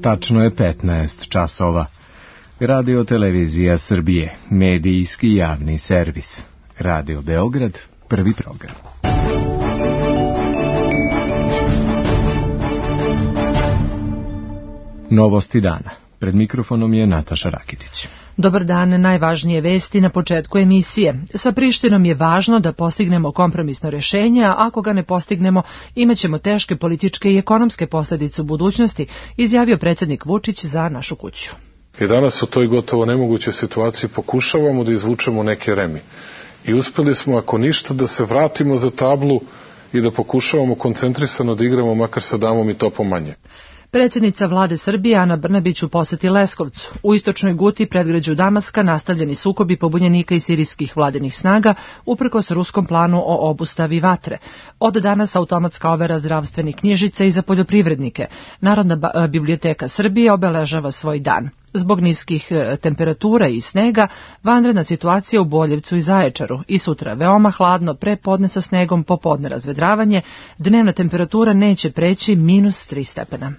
Tačno je 15 časova. Radio Televizija Srbije, medijski javni servis. Radio Beograd, prvi program. Novosti dana. Pred mikrofonom je Nataša Rakitić. Dobar dan, najvažnije vesti na početku emisije. Sa Prištinom je važno da postignemo kompromisno rješenje, a ako ga ne postignemo, imaćemo teške političke i ekonomske posljedice u budućnosti, izjavio predsjednik Vučić za Našu kuću. I danas u toj gotovo nemogućoj situaciji pokušavamo da izvučemo neke remi. I uspjeli smo, ako ništa, da se vratimo za tablu i da pokušavamo koncentrisano da igramo makar sa damom i topom manje. Predsjednica vlade Srbije Ana Brnabić u posjeti Leskovcu. U istočnoj Guti, predgrađu Damaska, nastavljeni sukobi pobunjenika i sirijskih vladinih snaga uprkos ruskom planu o obustavi vatre. Od danas automatska overa zdravstvenih knjižica i za poljoprivrednike. Narodna biblioteka Srbije obeležava svoj dan. Zbog niskih temperatura i snega, vanredna situacija u Boljevcu i Zaječaru. I sutra veoma hladno, pre podne sa snegom, popodne razvedravanje, dnevna temperatura neće preći -3 stepena.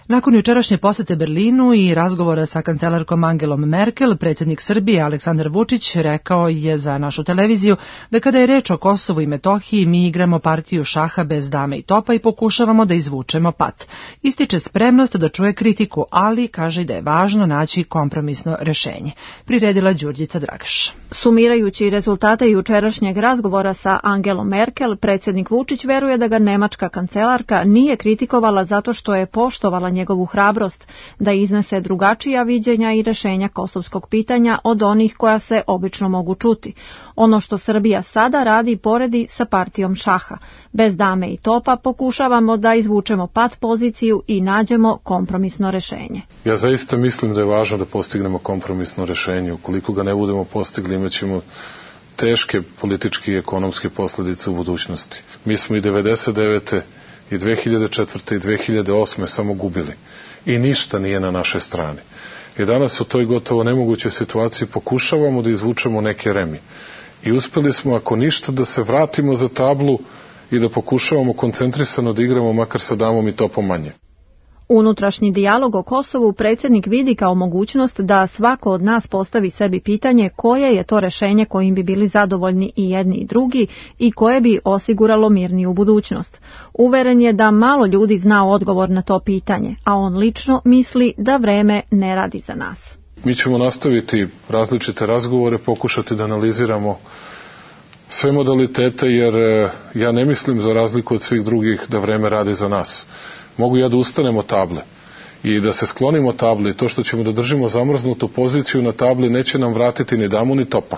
Nakon jučerašnje posete Berlinu i razgovora sa kancelarkom Angelom Merkel, predsjednik Srbije Aleksandar Vučić rekao je za našu televiziju da kada je reč o Kosovu i Metohiji mi igramo partiju šaha bez dame i topa i pokušavamo da izvučemo pat. Ističe spremnost da čuje kritiku, ali kaže da je važno naći kompromisno rješenje. Priredila Đurđica Dragaš. Sumirajući rezultate jučerašnjeg razgovora sa Angelom Merkel, predsjednik Vučić veruje da ga nemačka kancelarka nije kritikovala zato što je poštovala njegovu hrabrost da iznese drugačija viđenja i rješenja kosovskog pitanja od onih koja se obično mogu čuti. Ono što Srbija sada radi poredi sa partijom šaha. Bez dame i topa pokušavamo da izvučemo pat poziciju i nađemo kompromisno rješenje. Ja zaista mislim da je važno da postignemo kompromisno rješenje. Ukoliko ga ne budemo postigli, imaćemo teške političke i ekonomske posljedice u budućnosti. Mi smo i 1999. i 2004. i 2008. samo gubili. I ništa nije na našoj strani. I danas u toj gotovo nemogućoj situaciji pokušavamo da izvučemo neke remi. I uspjeli smo, ako ništa, da se vratimo za tablu i da pokušavamo koncentrisano da igramo makar sa damom i topom manje. Unutrašnji dijalog o Kosovu predsjednik vidi kao mogućnost da svako od nas postavi sebi pitanje koje je to rješenje kojim bi bili zadovoljni i jedni i drugi i koje bi osiguralo mirniju budućnost. Uveren je da malo ljudi zna odgovor na to pitanje, a on lično misli da vreme ne radi za nas. Mi ćemo nastaviti različite razgovore, pokušati da analiziramo sve modalitete, jer ja ne mislim, za razliku od svih drugih, da vreme radi za nas. Mogu ja da ustanem od table i da se sklonimo od table i to što ćemo da držimo zamrznutu poziciju na tabli neće nam vratiti ni damu ni topa.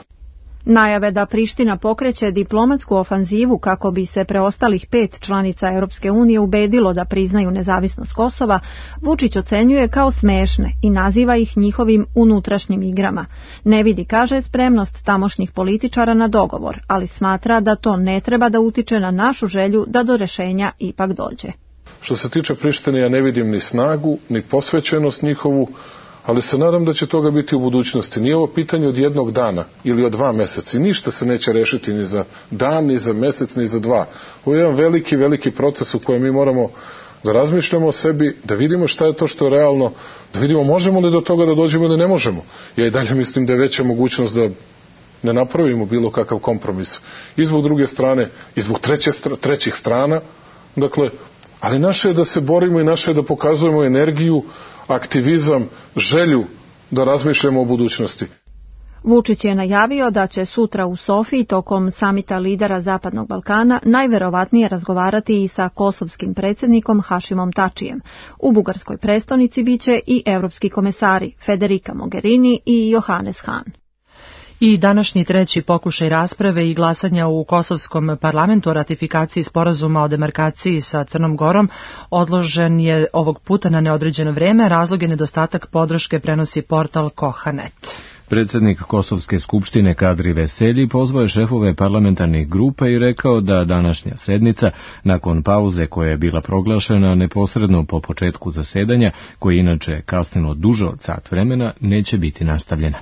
Najave da Priština pokreće diplomatsku ofanzivu kako bi se preostalih 5 članica Europske unije ubedilo da priznaju nezavisnost Kosova, Vučić ocenjuje kao smešne i naziva ih njihovim unutrašnjim igrama. Ne vidi, kaže, spremnost tamošnjih političara na dogovor, ali smatra da to ne treba da utiče na našu želju da do rješenja ipak dođe. Što se tiče Prištine, ja ne vidim ni snagu, ni posvećenost njihovu, ali se nadam da će toga biti u budućnosti. Nije ovo pitanje od jednog dana ili od 2 mjeseca. Ništa se neće rešiti ni za dan, ni za mjesec, ni za 2. Ovo je jedan veliki proces u kojem mi moramo da razmišljamo o sebi, da vidimo šta je to što je realno, da vidimo možemo li do toga da dođemo ili ne možemo. Ja i dalje mislim da je veća mogućnost da ne napravimo bilo kakav kompromis. I zbog druge strane, i zbog trećih strana, dakle, ali naše je da se borimo i naše je da pokazujemo energiju, aktivizam, želju da razmišljamo o budućnosti. Vučić je najavio da će sutra u Sofiji tokom samita lidera Zapadnog Balkana najverovatnije razgovarati i sa kosovskim predsjednikom Hašimom Tačijem. U bugarskoj prestonici biće i evropski komesari Federica Mogherini i Johannes Hahn. I današnji treći pokušaj rasprave i glasanja u kosovskom parlamentu o ratifikaciji sporazuma o demarkaciji sa Crnom Gorom odložen je ovog puta na neodređeno vrijeme. Razlog je nedostatak podrške, prenosi portal Koha.net. Predsjednik Kosovske skupštine Kadri Veselji pozvao je šefove parlamentarnih grupa i rekao da današnja sednica, nakon pauze koja je bila proglašena neposredno po početku zasedanja, koje inače kasnilo duže od sat vremena, neće biti nastavljena.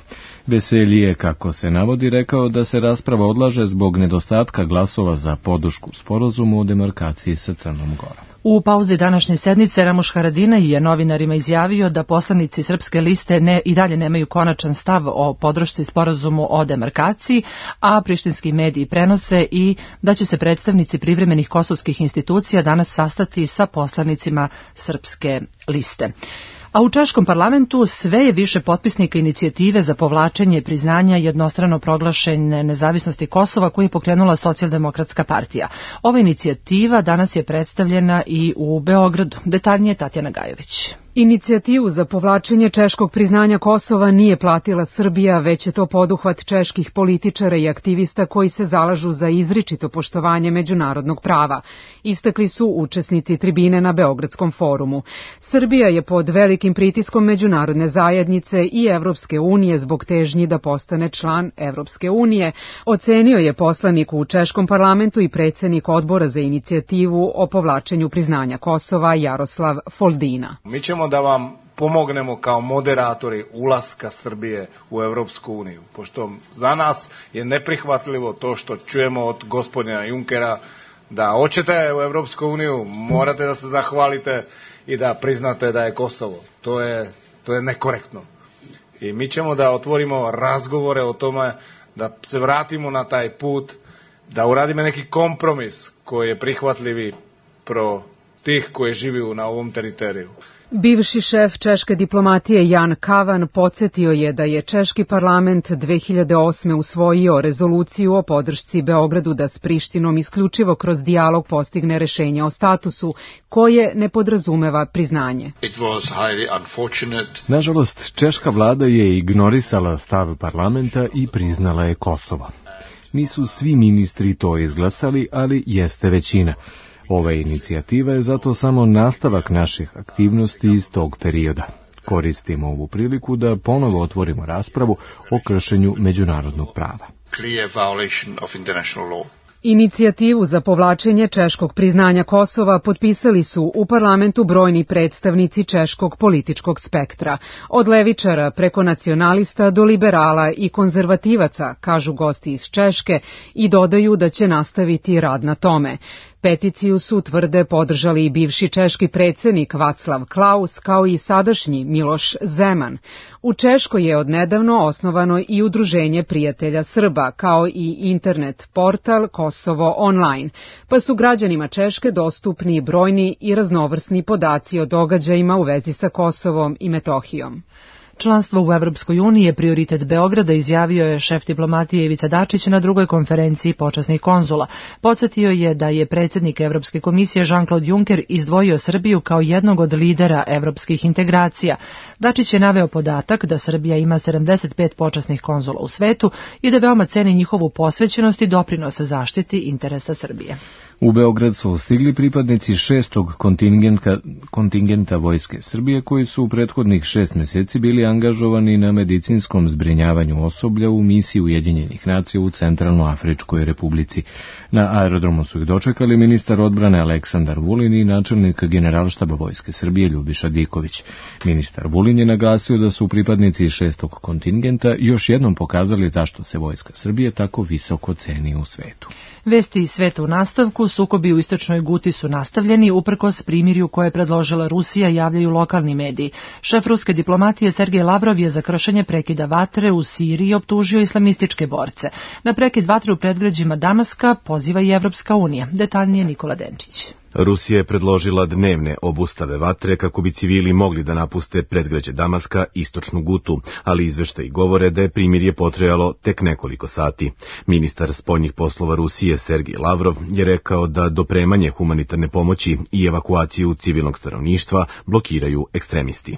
Veselji je, kako se navodi, rekao da se rasprava odlaže zbog nedostatka glasova za podršku sporazumu o demarkaciji sa Crnom Gorom. U pauzi današnje sednice Ramuš Haradinaj je novinarima izjavio da poslanici Srpske liste i dalje nemaju konačan stav o podršci sporazumu o demarkaciji, a prištinski mediji prenose i da će se predstavnici privremenih kosovskih institucija danas sastati sa poslanicima Srpske liste. A u češkom parlamentu sve je više potpisnika inicijative za povlačenje priznanja jednostrano proglašene nezavisnosti Kosova koju je pokrenula Socijaldemokratska partija. Ova inicijativa danas je predstavljena i u Beogradu. Detaljnije Tatjana Gajović. Inicijativu za povlačenje češkog priznanja Kosova nije platila Srbija, već je to poduhvat čeških političara i aktivista koji se zalažu za izričito poštovanje međunarodnog prava. Istakli su učesnici tribine na Beogradskom forumu. Srbija je pod velikim pritiskom međunarodne zajednice i Evropske unije zbog težnji da postane član Evropske unije, ocenio je poslanik u češkom parlamentu i predsjednik odbora za inicijativu o povlačenju priznanja Kosova Jaroslav Foldina. Mi ćemo da vam pomognemo kao moderatori ulaska Srbije u Evropsku uniju, pošto za nas je neprihvatljivo to što čujemo od gospodina Junkera da hoćete u Evropsku uniju, morate da se zahvalite i da priznate da je Kosovo. To je nekorektno. I mi ćemo da otvorimo razgovore o tome, da se vratimo na taj put, da uradimo neki kompromis koji je prihvatljivi pro tih koji živi na ovom teritoriju. Bivši šef češke diplomatije Jan Kavan podsjetio je da je češki parlament 2008. usvojio rezoluciju o podršci Beogradu da s Prištinom isključivo kroz dijalog postigne rešenje o statusu, koje ne podrazumeva priznanje. Nažalost, češka vlada je ignorisala stav parlamenta i priznala je Kosovo. Nisu svi ministri to izglasali, ali jeste većina. Ova inicijativa je zato samo nastavak naših aktivnosti iz tog perioda. Koristimo ovu priliku da ponovo otvorimo raspravu o kršenju međunarodnog prava. Inicijativu za povlačenje češkog priznanja Kosova potpisali su u parlamentu brojni predstavnici češkog političkog spektra, od levičara preko nacionalista do liberala i konzervativaca, kažu gosti iz Češke, i dodaju da će nastaviti rad na tome. Peticiju su, tvrde, podržali i bivši češki predsjednik Václav Klaus, kao i sadašnji Miloš Zeman. U Češkoj je odnedavno osnovano i Udruženje prijatelja Srba, kao i internet portal Kosovo online, pa su građanima Češke dostupni brojni i raznovrsni podaci o događajima u vezi sa Kosovom i Metohijom. Članstvo u Evropskoj uniji je prioritet Beograda, izjavio je šef diplomatije Ivica Dačić na drugoj konferenciji počasnih konzula. Podsjetio je da je predsjednik Evropske komisije Jean-Claude Juncker izdvojio Srbiju kao jednog od lidera evropskih integracija. Dačić je naveo podatak da Srbija ima 75 počasnih konzula u svetu i da veoma ceni njihovu posvećenost i doprinose zaštiti interesa Srbije. U Beograd su stigli pripadnici 6. kontingenta Vojske Srbije koji su u prethodnih 6 mjeseci bili angažovani na medicinskom zbrinjavanju osoblja u misiji Ujedinjenih nacija u Centralnoafričkoj Republici. Na aerodromu su ih dočekali ministar odbrane Aleksandar Vulin i načelnik Generalštaba Vojske Srbije Ljubiša Diković. Ministar Vulin je naglasio da su pripadnici 6. kontingenta još jednom pokazali zašto se Vojska Srbije tako visoko ceni u svetu. Vesti iz sveta u nastavku. Sukobi u istočnoj Guti su nastavljeni uprkos primirju koje je predložila Rusija, javljaju lokalni mediji. Šef ruske diplomatije Sergej Lavrov je za kršenje prekida vatre u Siriji optužio islamističke borce. Na prekid vatre u predgrađima Damaska poziva i Evropska unija. Detaljnije Nikola Denčić. Rusija je predložila dnevne obustave vatre kako bi civili mogli da napuste predgrađe Damaska, istočnu Gutu, ali izveštaji govore da je primirje potrajalo tek nekoliko sati. Ministar spoljnih poslova Rusije Sergej Lavrov je rekao da dopremanje humanitarne pomoći i evakuaciju civilnog stanovništva blokiraju ekstremisti.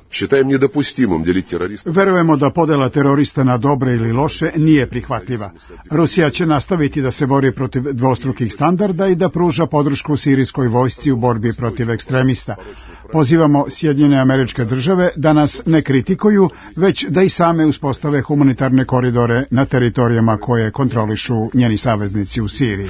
Verujemo da podela terorista na dobre ili loše nije prihvatljiva. Rusija će nastaviti da se bori protiv dvostrukih standarda i da pruža podršku sirijskoj vojsci vojsci u borbi protiv ekstremista. Pozivamo Sjedinjene Američke Države da nas ne kritikuju, već da i same uspostave humanitarne koridore na teritorijama koje kontrolišu njeni saveznici u Siriji.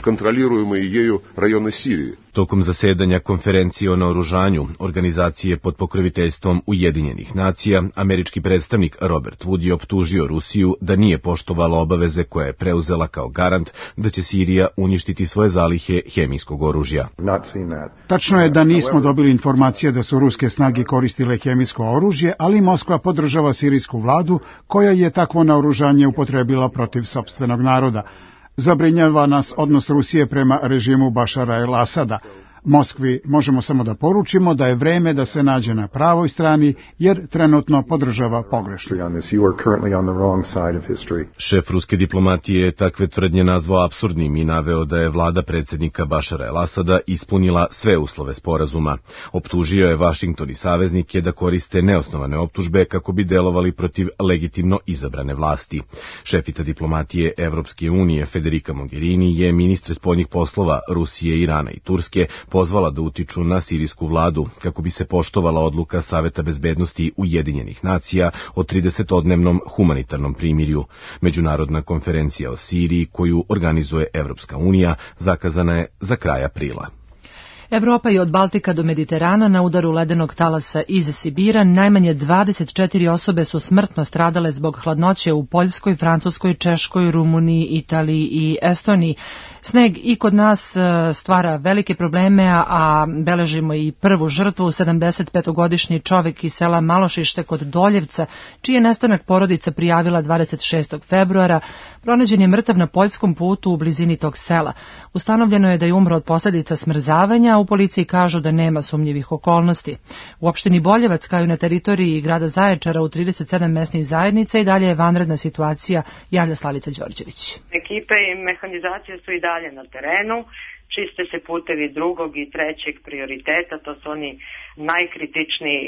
Tokom zasedanja konferencije o naoružanju organizacije pod pokroviteljstvom Ujedinjenih nacija, američki predstavnik Robert Wood je optužio Rusiju da nije poštovala obaveze koje je preuzela kao garant da će Sirija uništiti svoje zalihe hemijskog oružja. Tačno je da nismo dobili informacije da su ruske snage koristile hemijsko oružje, ali Moskva podržava sirijsku vladu koja je takvo naoružanje upotrebila protiv sopstvenog naroda. Zabrinjava nas odnos Rusije prema režimu Bašara el-Asada. Moskvi možemo samo da poručimo da je vreme da se nađe na pravoj strani, jer trenutno podržava pogrešno. Šef ruske diplomatije je takve tvrdnje nazvao apsurdnim i naveo da je vlada predsjednika Bašara el-Asada ispunila sve uslove sporazuma. Optužio je Vašington i saveznike da koriste neosnovane optužbe kako bi delovali protiv legitimno izabrane vlasti. Šefica diplomatije Evropske unije Federica Mogherini je ministre spoljnih poslova Rusije, Irana i Turske pozvala da utiču na sirijsku vladu kako bi se poštovala odluka Saveta bezbednosti Ujedinjenih nacija o 30-dnevnom humanitarnom primirju. Međunarodna konferencija o Siriji koju organizuje Evropska unija zakazana je za kraj aprila. Evropa je od Baltika do Mediterana na udaru ledenog talasa iz Sibira. Najmanje 24 osobe su smrtno stradale zbog hladnoće u Poljskoj, Francuskoj, Češkoj, Rumuniji, Italiji i Estoniji. Sneg i kod nas stvara velike probleme, a beležimo i prvu žrtvu, 75-godišnji čovek iz sela Malošište kod Doljevca, čiji je nestanak porodica prijavila 26. februara. Pronađen je mrtav na poljskom putu u blizini tog sela. Ustanovljeno je da je umro od posljedica smrzavanja, a u policiji kažu da nema sumnjivih okolnosti. U opštini Boljevac, kao i na teritoriji grada Zaječara u 37 mesnih zajednica, i dalje je vanredna situacija, javlja Slavica Đorđević. Ekipe i mehanizacije su i dalje na terenu, čiste se putevi drugog i trećeg prioriteta, to su oni najkritičniji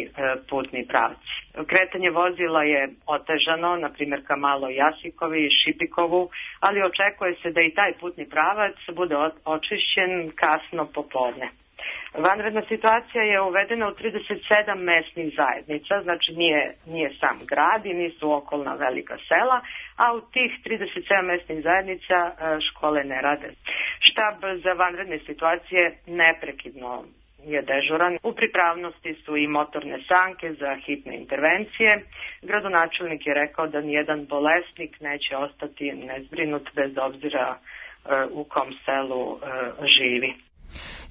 putni pravci. Kretanje vozila je otežano, na primjer ka Maloj Jasikovi i Šipikovu, ali očekuje se da i taj putni pravac bude očišćen kasno popodne. Vanredna situacija je uvedena u 37 mesnih zajednica, znači nije sam grad i nisu okolna velika sela, a u tih 37 mesnih zajednica škole ne rade. Štab za vanredne situacije neprekidno je dežuran. U pripravnosti su i motorne sanke za hitne intervencije. Gradonačelnik je rekao da nijedan bolesnik neće ostati nezbrinut bez obzira u kom selu živi.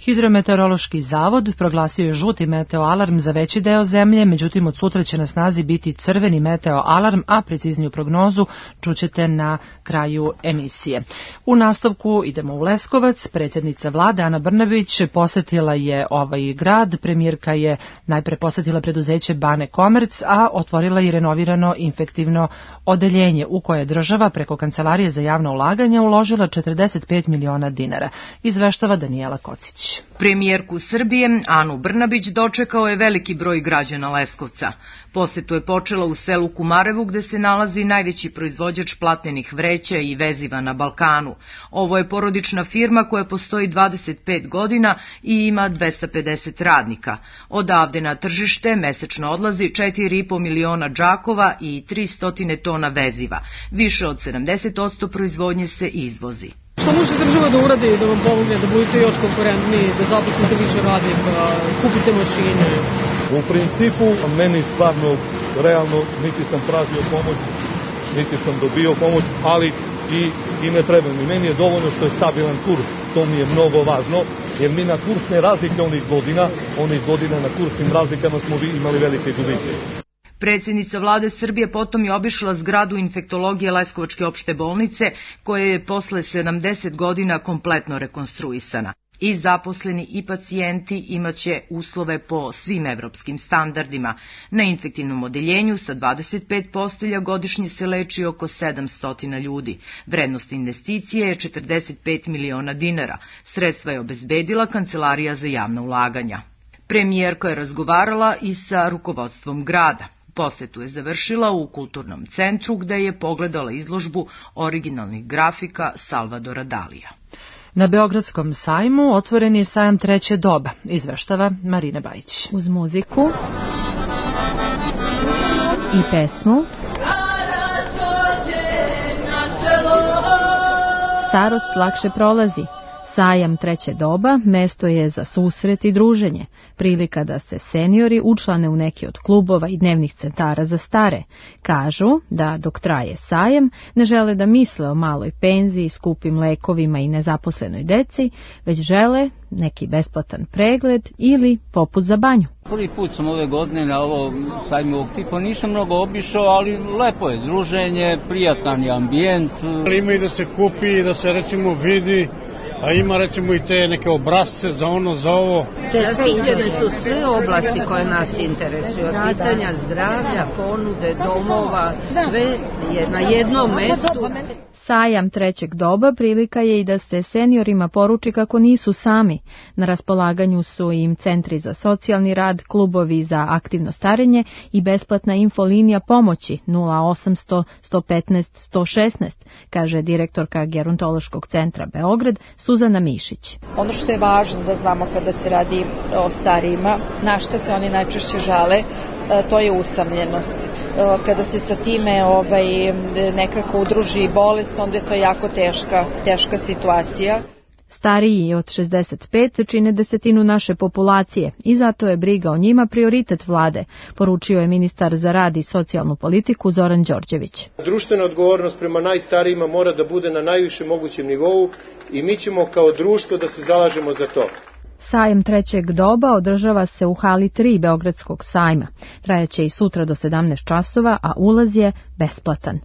Hidrometeorološki zavod proglasio je žuti meteoalarm za veći deo zemlje, međutim od sutra će na snazi biti crveni meteoalarm, a precizniju prognozu čućete na kraju emisije. U nastavku idemo u Leskovac. Predsjednica vlade Ana Brnabić posetila je ovaj grad. Premijerka je najpre posetila preduzeće Bane Komerc, a otvorila i renovirano infektivno odeljenje u koje je država preko Kancelarije za javna ulaganja uložila 45 miliona dinara. Izveštava Danijela Kocić. Premijerku Srbije, Anu Brnabić, dočekao je veliki broj građana Leskovca. Posetu je počela u selu Kumarevu, gde se nalazi najveći proizvođač platnenih vreća i veziva na Balkanu. Ovo je porodična firma koja postoji 25 godina i ima 250 radnika. Odavde na tržište mesečno odlazi 4,5 miliona džakova i 300 tona veziva. Više od 70% proizvodnje se izvozi. Što može država da uradi da vam pomogne, da budete još konkurentniji, da zaposlite više radnika, kupite mašine? U principu, meni stvarno, realno, niti sam tražio pomoć, niti sam dobio pomoć, ali i ne treba mi. Meni je dovoljno što je stabilan kurs, to mi je mnogo važno, jer mi na kursne razlike onih godina na kursnim razlikama smo imali velike gubitke. Predsjednica vlade Srbije potom je obišla zgradu infektologije Leskovačke opšte bolnice, koja je posle 70 godina kompletno rekonstruisana. I zaposleni i pacijenti imaće uslove po svim evropskim standardima. Na infektivnom odeljenju sa 25 postelja godišnje se leči oko 700 ljudi. Vrednost investicije je 45 miliona dinara. Sredstva je obezbedila Kancelarija za javna ulaganja. Premijerka je razgovarala i sa rukovodstvom grada. Posetu je završila u kulturnom centru, gde je pogledala izložbu originalnih grafika Salvadora Dalija. Na Beogradskom sajmu otvoren je sajam treće doba, izveštava Marina Bajić. Uz muziku i pesmu starost lakše prolazi. Sajam treće doba mesto je za susret i druženje, prilika da se seniori učlane u neki od klubova i dnevnih centara za stare. Kažu da dok traje sajam ne žele da misle o maloj penziji, skupim lekovima i nezaposlenoj deci, već žele neki besplatan pregled ili poput za banju. Prvi put sam ove godine na ovo sajmu ovog tipa, nisam mnogo obišao, ali lepo je druženje, prijatan je ambijent. Ima i da se kupi i da se recimo vidi, a ima recimo i te neke obrazce za ono, za ovo. Zastupljene su sve oblasti koje nas interesuju, pitanja zdravlja, ponude, domova, sve je na jednom mestu. Sajam trećeg doba prilika je i da se seniorima poruči kako nisu sami. Na raspolaganju su im centri za socijalni rad, klubovi za aktivno starenje i besplatna infolinija pomoći 0800 115 116, kaže direktorka Gerontološkog centra Beograd Suzana Mišić. Ono što je važno da znamo kada se radi o starijima, na šta se oni najčešće žale, to je usamljenost. Kada se sa time nekako udruži bolest, onda je to jako teška situacija. Stariji od 65 čine desetinu naše populacije i zato je briga o njima prioritet vlade, poručio je ministar za rad i socijalnu politiku Zoran Đorđević. Društvena odgovornost prema najstarijima mora da bude na najvišem mogućem nivou i mi ćemo kao društvo da se zalažemo za to. Sajam trećeg doba održava se u hali 3 Beogradskog sajma. Trajaće i sutra do 17 časova, a ulaz je besplatan.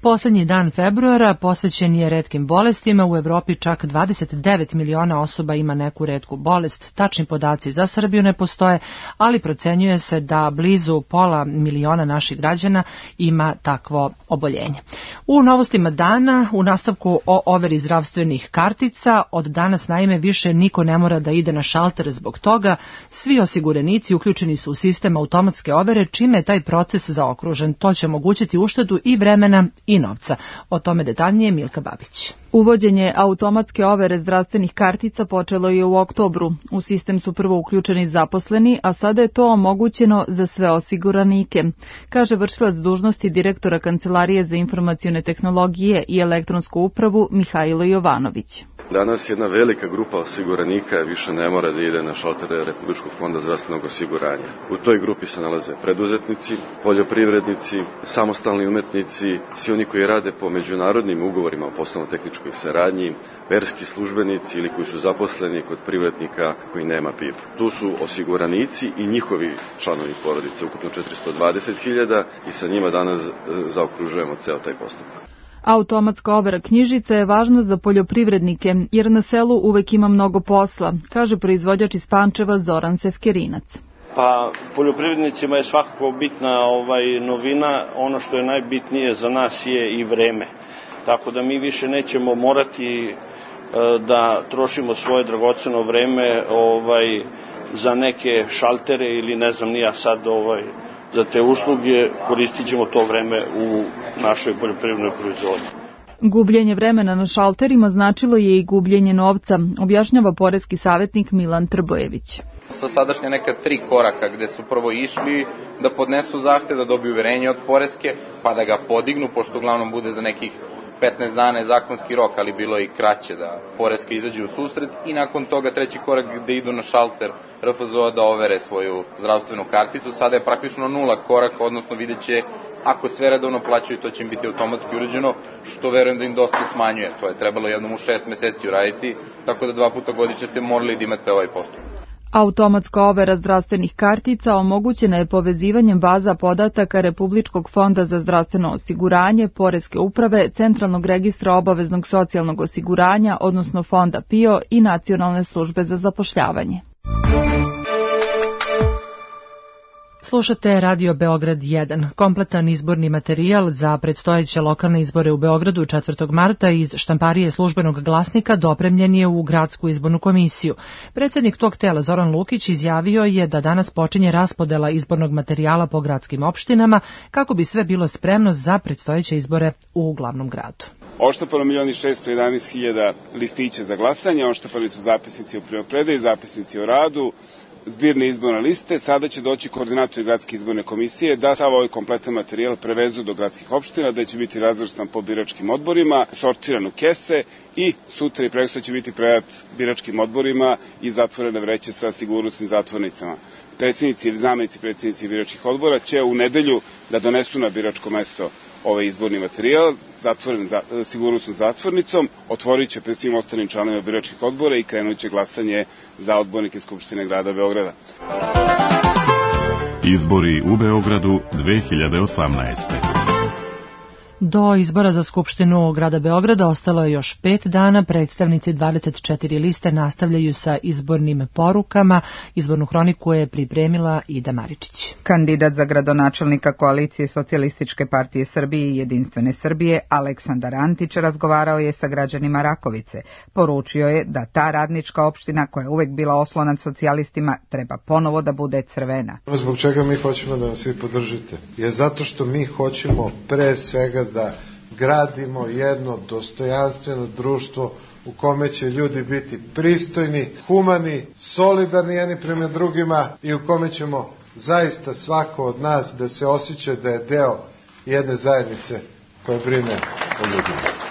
Poslednji dan februara posvećen je retkim bolestima. U Evropi čak 29 miliona osoba ima neku retku bolest. Tačni podaci za Srbiju ne postoje, ali procenjuje se da blizu pola miliona naših građana ima takvo oboljenje. U novostima dana, u nastavku o overi zdravstvenih kartica, od danas naime više niko ne mora da ide na šalter zbog toga. Svi osiguranici uključeni su u sistem automatske overe, čime je taj proces zaokružen. To će omogućiti uštedu i vremena i novca. O tome detaljnije Milka Babić. Uvođenje automatske overe zdravstvenih kartica počelo je u oktobru. U sistem su prvo uključeni zaposleni, a sada je to omogućeno za sve osiguranike, kaže vršilac dužnosti direktora Kancelarije za informacione tehnologije i elektronsku upravu Mihajlo Jovanović. Danas jedna velika grupa osiguranika više ne mora da ide na šaltere Republičkog fonda zdravstvenog osiguranja. U toj grupi se nalaze preduzetnici, poljoprivrednici, samostalni umetnici, svi oni koji rade po međunarodnim ugovorima o poslovno-tehničkoj saradnji, verski službenici ili koji su zaposleni kod privrednika koji nema PIF. Tu su osiguranici i njihovi članovi porodice, ukupno 420.000 i sa njima danas zaokružujemo ceo taj postupak. Automatska overa knjižica je važna za poljoprivrednike, jer na selu uvek ima mnogo posla, kaže proizvođač iz Pančeva Zoran Sefkerinac. Pa poljoprivrednicima je svakako bitna novina, ono što je najbitnije za nas je i vreme. Tako da mi više nećemo morati da trošimo svoje dragoceno vreme za neke šaltere ili ne znam ni ja sad za te usluge, koristit ćemo to vreme u našoj poljoprivrednoj proizvodnji. Gubljenje vremena na šalterima značilo je i gubljenje novca, objašnjava poreski savjetnik Milan Trbojević. Sa sadašnje neka 3 koraka gde su prvo išli da podnesu zahtev, da dobiju uverenje od poreske, pa da ga podignu, pošto uglavnom bude za nekih 15 dana je zakonski rok, ali bilo je i kraće da poreska izađe u susret i nakon toga treći korak gde idu na šalter RFZO da overe svoju zdravstvenu karticu. Sada je praktično 0 korak, odnosno vidjet će ako sve redovno plaćaju, to će im biti automatski urađeno, što verujem da im dosta smanjuje. To je trebalo jednom u 6 meseci uraditi, tako da 2 puta godišnje ste morali da imate ovaj postupak. Automatska overa zdravstvenih kartica omogućena je povezivanjem baza podataka Republičkog fonda za zdravstveno osiguranje, Poreske uprave, Centralnog registra obaveznog socijalnog osiguranja, odnosno Fonda PIO i Nacionalne službe za zapošljavanje. Slušate Radio Beograd 1. Kompletan izborni materijal za predstojeće lokalne izbore u Beogradu 4. marta iz štamparije Službenog glasnika dopremljen je u Gradsku izbornu komisiju. Predsjednik tog tela Zoran Lukić izjavio je da danas počinje raspodela izbornog materijala po gradskim opštinama kako bi sve bilo spremno za predstojeće izbore u glavnom gradu. Odštampano 1.611.000 listića za glasanje, odštampani su zapisnici o primopredaji, zapisnici o radu, zbirne izborne liste. Sada će doći koordinatori gradske izborne komisije da sav ovaj kompletan materijal prevezu do gradskih opština, da će biti razvrstan po biračkim odborima, sortiran u kese i sutra i prekosutra će biti predat biračkim odborima i zatvorene vreće sa sigurnosnim zatvornicama. Predsjednici ili zamenici predsjednici biračkih odbora će u nedelju da donesu na biračko mesto ovaj izborni materijal, zatvoren sigurnosnom zatvornicom, otvorit će pred svim ostalim članovima biračkih odbora i krenut će glasanje za odbornike Skupštine grada Beograda. Izbori u Beogradu 2018. Do izbora za Skupštinu grada Beograda ostalo je još 5 dana. Predstavnici 24 liste nastavljaju sa izbornim porukama. Izbornu hroniku je pripremila Ida Maričić. Kandidat za gradonačelnika koalicije Socijalističke partije Srbije i Jedinstvene Srbije, Aleksandar Antić, razgovarao je sa građanima Rakovice. Poručio je da ta radnička opština, koja je uvek bila oslonac socijalistima, treba ponovo da bude crvena. Zbog čega mi hoćemo da nas svi podržite? Je zato što mi hoćemo pre svega da gradimo jedno dostojanstveno društvo u kome će ljudi biti pristojni, humani, solidarni jedni prema drugima i u kome ćemo zaista svako od nas da se osjeća da je deo jedne zajednice koja brine o ljudima.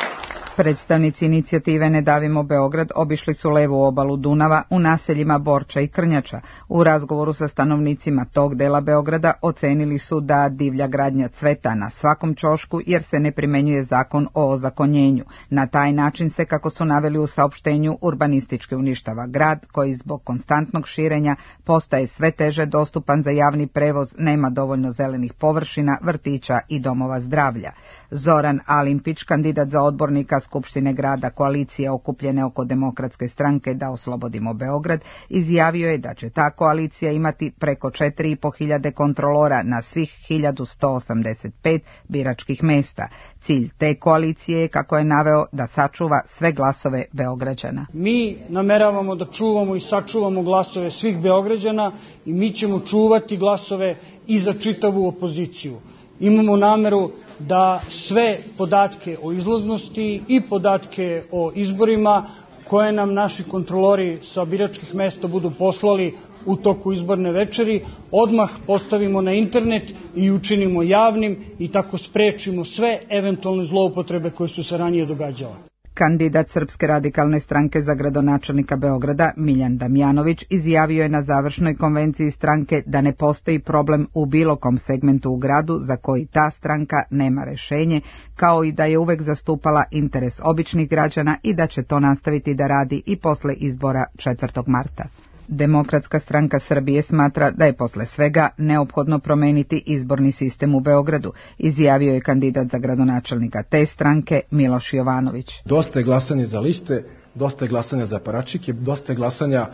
Predstavnici inicijative Ne davimo Beograd obišli su levu obalu Dunava u naseljima Borča i Krnjača. U razgovoru sa stanovnicima tog dela Beograda ocenili su da divlja gradnja cveta na svakom ćošku jer se ne primenjuje zakon o ozakonjenju. Na taj način se, kako su naveli u saopštenju, urbanistički uništava grad koji zbog konstantnog širenja postaje sve teže dostupan za javni prevoz, nema dovoljno zelenih površina, vrtića i domova zdravlja. Zoran Alimpić, kandidat za odbornika Skupštine grada koalicije okupljene oko Demokratske stranke Da oslobodimo Beograd, izjavio je da će ta koalicija imati preko 4.500 kontrolora na svih 1185 biračkih mesta. Cilj te koalicije je, kako je naveo, da sačuva sve glasove Beograđana. Mi nameravamo da čuvamo i sačuvamo glasove svih Beograđana i mi ćemo čuvati glasove i za čitavu opoziciju. Imamo nameru da sve podatke o izlaznosti i podatke o izborima koje nam naši kontrolori sa biračkih mesta budu poslali u toku izborne večeri, odmah postavimo na internet i učinimo javnim i tako sprečimo sve eventualne zloupotrebe koje su se ranije događale. Kandidat Srpske radikalne stranke za gradonačelnika Beograda, Miljan Damjanović, izjavio je na završnoj konvenciji stranke da ne postoji problem u bilo kom segmentu u gradu za koji ta stranka nema rešenje, kao i da je uvek zastupala interes običnih građana i da će to nastaviti da radi i posle izbora 4. marta. Demokratska stranka Srbije smatra da je posle svega neophodno promeniti izborni sistem u Beogradu, izjavio je kandidat za gradonačelnika te stranke Miloš Jovanović. Dosta je glasanja za liste, dosta je glasanja za paračike, dosta je glasanja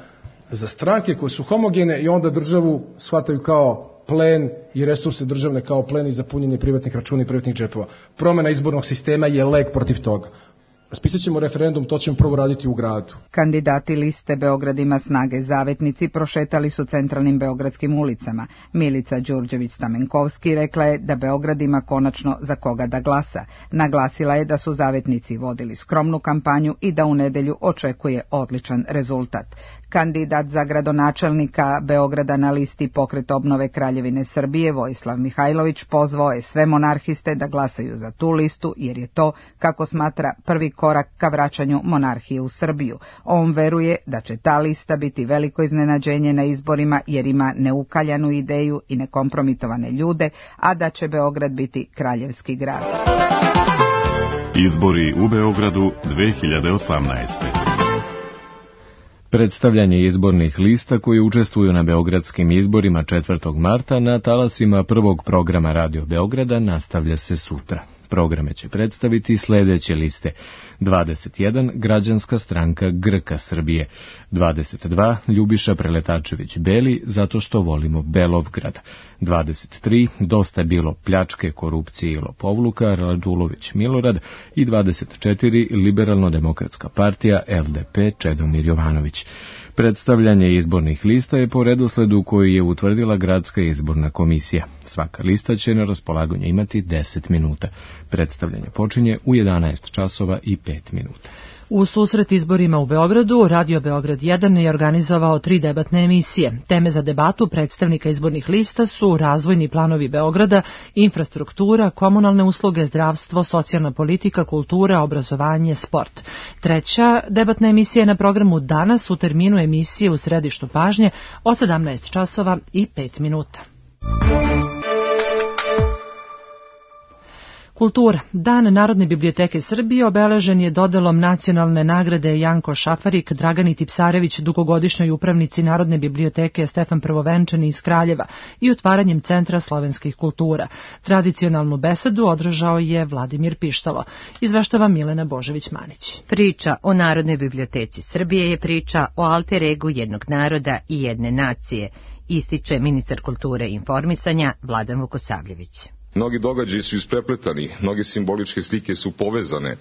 za stranke koje su homogene i onda državu shvataju kao plen i resurse državne kao plen i za punjenje privatnih računa i privatnih džepova. Promena izbornog sistema je lek protiv toga. Raspisat ćemo referendum, to ćemo prvo raditi u gradu. Kandidati liste Beograd ima snage zavetnici prošetali su centralnim beogradskim ulicama. Milica Đurđević-Stamenkovski rekla je da Beograd ima konačno za koga da glasa. Naglasila je da su zavetnici vodili skromnu kampanju i da u nedelju očekuje odličan rezultat. Kandidat za gradonačelnika Beograda na listi Pokret obnove Kraljevine Srbije, Vojislav Mihajlović, pozvao je sve monarhiste da glasaju za tu listu jer je to, kako smatra, prvi korak ka vraćanju monarhije u Srbiju. On veruje da će ta lista biti veliko iznenađenje na izborima jer ima neukaljanu ideju i nekompromitovane ljude, a da će Beograd biti kraljevski grad. Izbori u Beogradu 2018. Predstavljanje izbornih lista koji učestvuju na beogradskim izborima 4. marta na talasima prvog programa Radio Beograda nastavlja se sutra. Programe će predstaviti sljedeće liste: 21. Građanska stranka Grka Srbije, 22. Ljubiša Preletačević Beli, zato što volimo Belovgrad, 23. Dosta je bilo pljačke, korupcije i lopovluka, Radulović Milorad i 24. Liberalno-demokratska partija LDP Čedomir Jovanović. Predstavljanje izbornih lista je po redosledu koji je utvrdila Gradska izborna komisija. Svaka lista će na raspolaganju imati 10 minuta. Predstavljanje počinje u 11 časova i 5 minuta. U susret izborima u Beogradu, Radio Beograd 1 je organizovao 3 debatne emisije. Teme za debatu predstavnika izbornih lista su razvojni planovi Beograda, infrastruktura, komunalne usluge, zdravstvo, socijalna politika, kultura, obrazovanje, sport. Treća debatna emisija je na programu danas u terminu emisije u središtu pažnje od 17 časova i 5 minuta. Kultura. Dan Narodne biblioteke Srbije obeležen je dodelom nacionalne nagrade Janko Šafarik Dragani Tipsarević, dugogodišnjoj upravnici Narodne biblioteke Stefan Prvovenčani iz Kraljeva i otvaranjem Centra slovenskih kultura. Tradicionalnu besedu održao je Vladimir Pištalo. Izveštava Milena Božović-Manić. Priča o Narodnoj biblioteci Srbije je priča o alter egu jednog naroda i jedne nacije, ističe ministar kulture i informisanja Vladan Vukosavljević. Mnogi događaji su isprepletani, mnoge simboličke slike su povezane.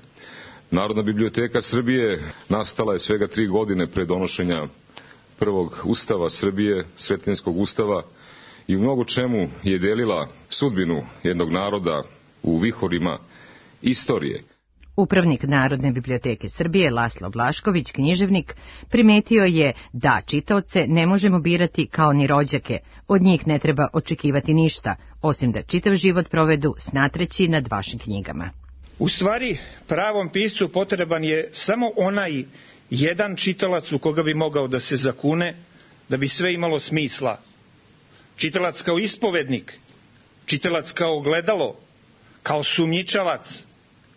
Narodna biblioteka Srbije nastala je svega 3 godine pre donošenja prvog ustava Srbije, Sretenjskog ustava, i u mnogo čemu je delila sudbinu jednog naroda u vihorima istorije. Upravnik Narodne biblioteke Srbije Laslo Vlašković, književnik, primetio je da čitaoce ne možemo birati kao ni rođake, od njih ne treba očekivati ništa, osim da čitav život provedu snatreći nad vašim knjigama. U stvari, pravom piscu potreban je samo onaj jedan čitalac u koga bi mogao da se zakune, da bi sve imalo smisla. Čitalac kao ispovednik, čitalac kao ogledalo, kao sumnjičavac,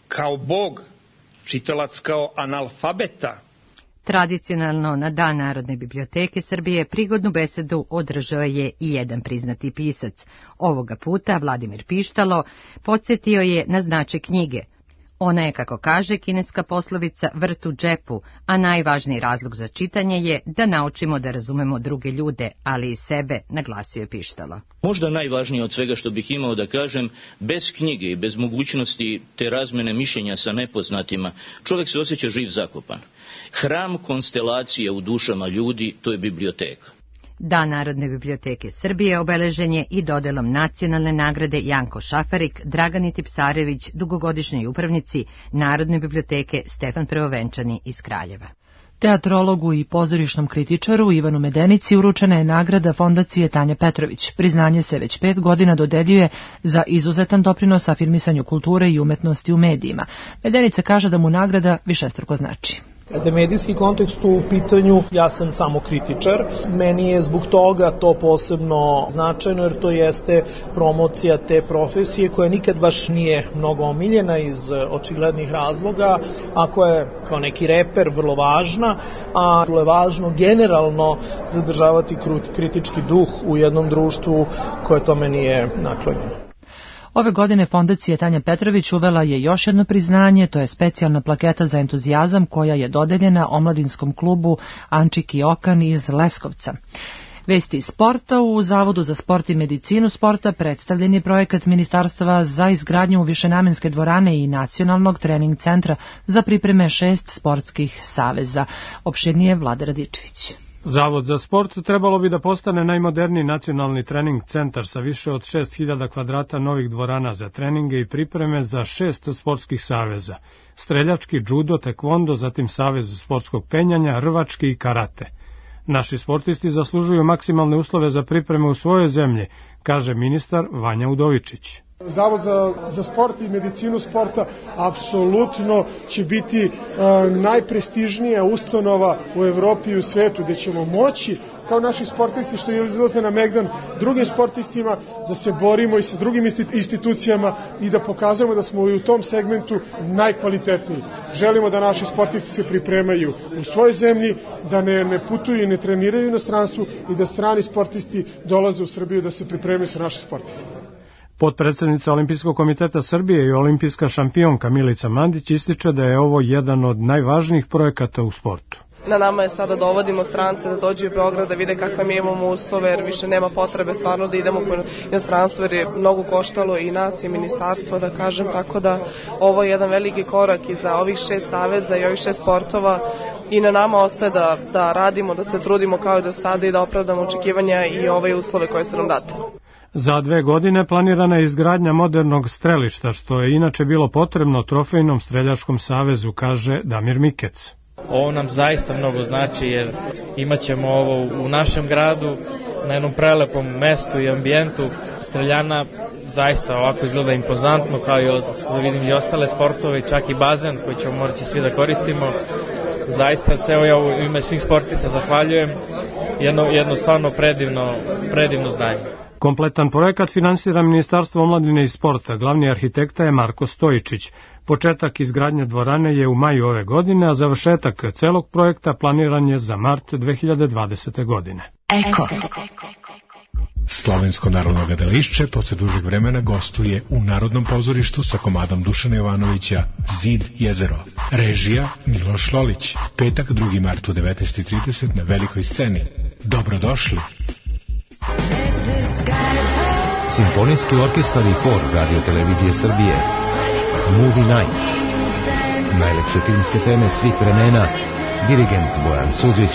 kao Bog, čitalac kao analfabeta. Tradicionalno na Dan Narodne biblioteke Srbije prigodnu besedu održao je i jedan priznati pisac. Ovoga puta Vladimir Pištalo podsjetio je na značaj knjige. Ona je, kako kaže kineska poslovica, vrt u džepu, a najvažniji razlog za čitanje je da naučimo da razumemo druge ljude, ali i sebe, naglasio je Pištalo. Možda najvažnije od svega što bih imao da kažem, bez knjige i bez mogućnosti te razmene mišljenja sa nepoznatima, čovjek se osjeća živ zakopan. Hram konstelacije u dušama ljudi, to je biblioteka. Dan Narodne biblioteke Srbije obeležen je i dodelom nacionalne nagrade Janko Šafarik Dragani Tipsarević, dugogodišnjoj upravnici Narodne biblioteke Stefan Prvovenčani iz Kraljeva. Teatrologu i pozorišnom kritičaru Ivanu Medenici uručena je nagrada Fondacije Tanja Petrović. Priznanje se već 5 godina dodeljuje za izuzetan doprinos afirmisanju kulture i umetnosti u medijima. Medenica kaže da mu nagrada višestruko znači. Kada je medijski kontekst u pitanju, ja sam samo kritičar. Meni je zbog toga to posebno značajno, jer to jeste promocija te profesije koja nikad baš nije mnogo omiljena iz očiglednih razloga, a koja je kao neki reper vrlo važna, a je važno generalno zadržavati kritički duh u jednom društvu koje tome nije naklonjeno. Ove godine Fondacija Tanja Petrović uvela je još jedno priznanje, to je specijalna plaketa za entuzijazam koja je dodeljena omladinskom klubu Ančiki Okan iz Leskovca. Vesti iz sporta. U Zavodu za sport i medicinu sporta predstavljen je projekat Ministarstva za izgradnju višenamenske dvorane i nacionalnog trening centra za pripreme 6 sportskih saveza. Opširnije Vlada Radičević. Zavod za sport trebalo bi da postane najmoderniji nacionalni trening centar sa više od 6000 kvadrata novih dvorana za treninge i pripreme za 6 sportskih saveza: streljački, judo, tekvondo, zatim savez sportskog penjanja, rvački i karate. Naši sportisti zaslužuju maksimalne uslove za pripreme u svojoj zemlji, kaže ministar Vanja Udovičić. Zavod za sport i medicinu sporta apsolutno će biti najprestižnija ustanova u Evropi i u svetu, gde ćemo moći, kao naši sportisti što izlaze na Megdan, drugim sportistima da se borimo i sa drugim institucijama i da pokazujemo da smo i u tom segmentu najkvalitetniji. Želimo da naši sportisti se pripremaju u svojoj zemlji, da ne putuju i ne treniraju u inostranstvu i da strani sportisti dolaze u Srbiju da se pripremaju sa našim sportistima. Potpredsednica Olimpijskog komiteta Srbije i olimpijska šampionka Milica Mandić ističe da je ovo jedan od najvažnijih projekata u sportu. Na nama je sada da dovodimo strance da dođu u Beograd da vide kakve mi imamo uslove, jer više nema potrebe stvarno da idemo po inostranstvu, jer je mnogo koštalo i nas i ministarstvo, da kažem, tako da ovo je jedan veliki korak i za ovih 6 saveza i ovih 6 sportova i na nama ostaje da radimo, da se trudimo kao i do sada i da opravdamo očekivanja i ove uslove koje su nam date. Za 2 godine planirana je izgradnja modernog strelišta, što je inače bilo potrebno Trofejnom streljačkom savezu, kaže Damir Mikec. Ovo nam zaista mnogo znači jer imat ćemo ovo u našem gradu, na jednom prelepom mestu i ambijentu. Streljana zaista ovako izgleda impozantno, kao i vidim i ostale sportove, čak i bazen koji ćemo morati svi da koristimo. Zaista se ja u ime svih sportista zahvaljujem, jedno stvarno predivno zdanje. Kompletan projekat finansira Ministarstvo omladine i sporta. Glavni arhitekta je Marko Stojičić. Početak izgradnje dvorane je u maju ove godine, a završetak celog projekta planiran je za mart 2020. godine. Eko. Slovensko narodno gledališće posle dužeg vremena gostuje u Narodnom pozorištu sa komadom Dušana Jovanovića Zid jezero. Režija Miloš Lolić. Petak 2. mart u 19:30 na velikoj sceni. Dobrodošli! Simfonijski orkestar i hor Radio Televizije Srbije. Movie Night. Najlepše filmske teme svih vremena. Dirigent Bojan Suđić.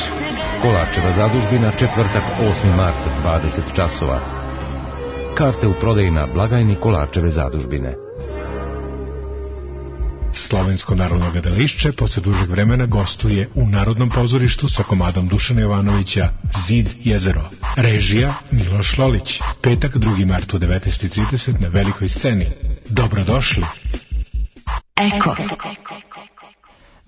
Kolačeva zadužbina, četvrtak 8. mart 20 časova. Karte u prodaji na blagajni Kolačeve zadužbine. Slovensko narodno gledališće posle dužeg vremena gostuje u Narodnom pozorištu sa komadom Dušana Jovanovića Zid jezero. Režija Miloš Lolić. Petak 2. mart u 19:30 na velikoj sceni. Dobrodošli! Eko.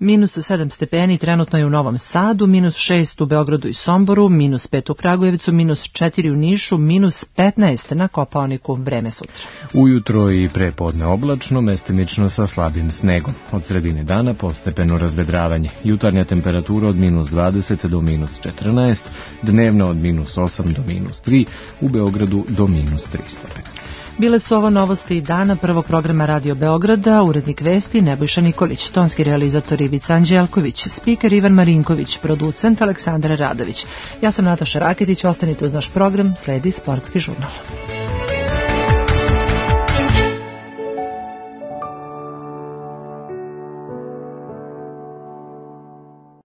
Minus 7 stepeni trenutno je u Novom Sadu, minus 6 u Beogradu i Somboru, minus 5 u Kragujevcu, minus 4 u Nišu, minus 15 na Kopaoniku. Vreme sutra. Ujutro i prepodne oblačno, mestimično sa slabim snegom. Od sredine dana postepeno razvedravanje. Jutarnja temperatura od minus 20 do minus 14, dnevna od minus 8 do minus 3, u Beogradu do minus 3 stepena. Bile su ovo novosti dana prvog programa Radio Beograda, urednik vesti Nebojša Nikolić, tonski realizator Ivica Anđelković, spiker Ivan Marinković, producent Aleksandar Radović. Ja sam Nataša Raketić, ostanite uz naš program, sledi Sportski žurnal.